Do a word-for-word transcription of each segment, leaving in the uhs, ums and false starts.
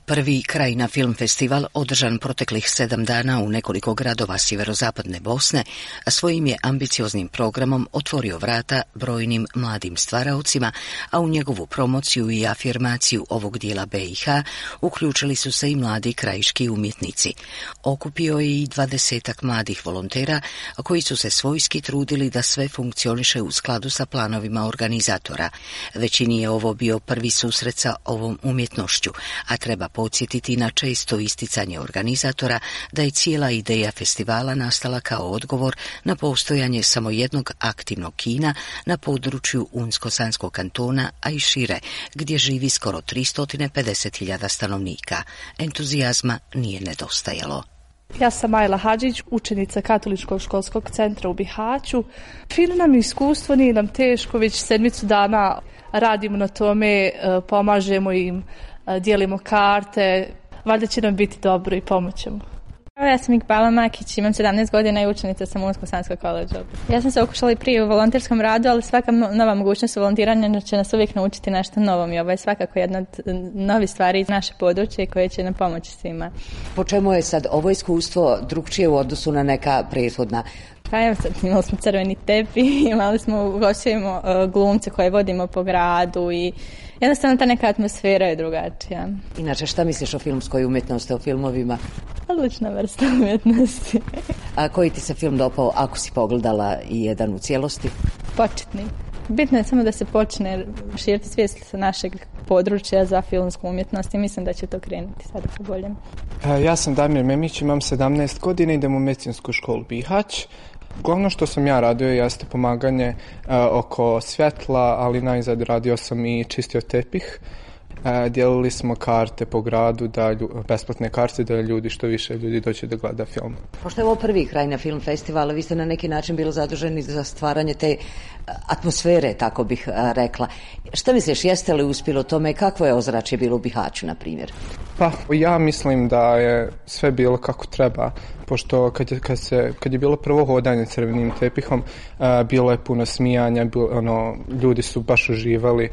Prvi Krajina film festival, održan proteklih sedam dana u nekoliko gradova sjeverozapadne Bosne, svojim je ambicioznim programom otvorio vrata brojnim mladim stvaraocima, a u njegovu promociju i afirmaciju ovog dijela B i H uključili su se i mladi krajiški umjetnici. Okupio je i dvadesetak mladih volontera koji su se svojski trudili da sve funkcioniše u skladu sa planovima organizatora. Većini je ovo bio prvi susret sa ovom umjetnošću, a treba podsjetiti na često isticanje organizatora da je cijela ideja festivala nastala kao odgovor na postojanje samo jednog aktivnog kina na području Unsko-Sanskog kantona, a i šire, gdje živi skoro tristo pedeset hiljada stanovnika. Entuzijazma nije nedostajalo. Ja sam Ajla Hadžić, učenica Katoličkog školskog centra u Bihaću. Fino nam iskustvo, nije nam teško, već sedmicu dana radimo na tome, pomažemo im, dijelimo karte, valjda će nam biti dobro i pomoćemo. Ja sam Ikbala Makić, imam sedamnaest godina i učenica sam u Unsko-Sanskog koledža. Ja sam se okušala i prije u volonterskom radu, ali svaka nova mogućnost volontiranja će nas uvijek naučiti nešto novom i ovo je svakako jedna od novih stvari iz naše područje koje će nam pomoći svima. Po čemu je sad ovo iskustvo drugčije u odnosu na neka prethodna? Pa evo sad, imali smo crveni tepi, imali smo, ugostujemo uh, glumce koje vodimo po gradu i jednostavno ta neka atmosfera je drugačija. Inače, šta misliš o filmskoj umjetnosti, o filmovima? Odlična vrsta umjetnosti. A koji ti se film dopao ako si pogledala i jedan u cijelosti? Početni. Bitno je samo da se počne širiti svijest sa našeg područja za filmsku umjetnost i mislim da će to krenuti sada po boljem. Ja sam Damir Memić, imam sedamnaest godina, idem u medicinsku školu Bihać. Glavno što sam ja radio jeste pomaganje uh, oko svjetla, ali najzad radio sam i čistio tepih. Uh, dijelili smo karte po gradu, da lju, besplatne karte, da ljudi što više ljudi doće da gleda film. Pošto je ovo prvi Krajina film festival, vi ste na neki način bili zaduženi za stvaranje te atmosfere, tako bih uh, rekla. Šta misliš, jeste li uspjelo tome? Kakvo je ozračje bilo u Bihaću, na primjer? Pa, ja mislim da je sve bilo kako treba, pošto kad je, kad se, kad je bilo prvo hodanje crvenim tepihom, uh, bilo je puno smijanja, bilo, ono, ljudi su baš uživali.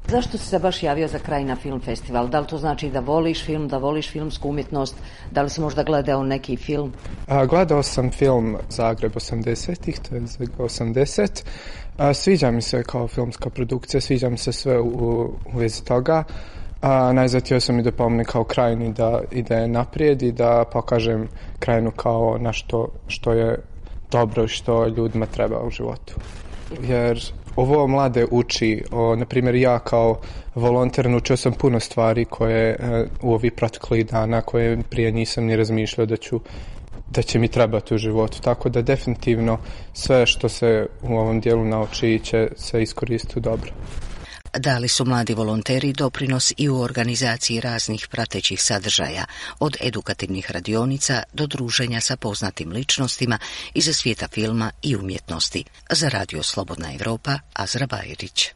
Zašto si se baš javio za Krajina film festival? Da li to znači da voliš film, da voliš filmsku umjetnost? Da li si možda gledao neki film? A, gledao sam film Zagreb osamdesetih, to je osamdeset. A, sviđa mi se kao filmska produkcija, sviđa mi se sve u, u vezi toga. A, najzatio sam i da pomne kao Krajini da ide naprijed i da pokažem Krajinu kao nešto što je dobro i što ljudima treba u životu. Jer ovo mlade uči, o, na primjer ja kao volonter naučio sam puno stvari koje e, u ovih proteklih dana koje prije nisam ni razmišljao da ću da će mi trebati u životu, tako da definitivno sve što se u ovom dijelu nauči će se iskoristiti dobro. Dali su mladi volonteri doprinos i u organizaciji raznih pratećih sadržaja, od edukativnih radionica do druženja sa poznatim ličnostima iz svijeta filma i umjetnosti. Za Radio Slobodna Evropa, Azra Bajrić.